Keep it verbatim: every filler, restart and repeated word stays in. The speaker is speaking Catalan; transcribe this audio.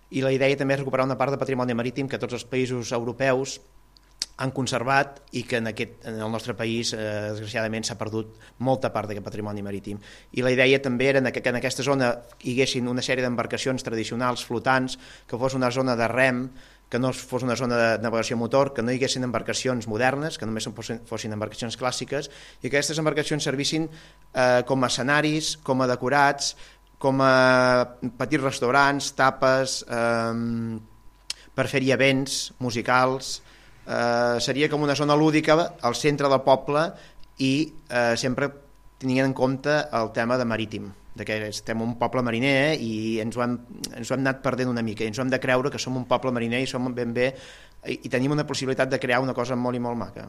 i la idea també és recuperar una part de patrimoni marítim que tots els països europeus han conservat i que en, aquest, en el nostre país, eh, desgraciadament, s'ha perdut molta part d'aquest patrimoni marítim. I la idea també era que en aquesta zona hi haguessin una sèrie d'embarcacions tradicionals, flotants, que fos una zona de rem, que no fos una zona de navegació motor, que no hi haguessin embarcacions modernes, que només fossin, fossin embarcacions clàssiques, i que aquestes embarcacions servissin eh, com a escenaris, com a decorats, com a petits restaurants, tapes, eh, per fer-hi events musicals. Eh, seria com una zona lúdica al centre del poble i eh, sempre tenint en compte el tema de marítim, de que estem un poble mariner i ens ho, hem, ens ho hem anat perdent una mica, i ens ho hem de creure que som un poble mariner i som ben bé i tenim una possibilitat de crear una cosa molt i molt maca.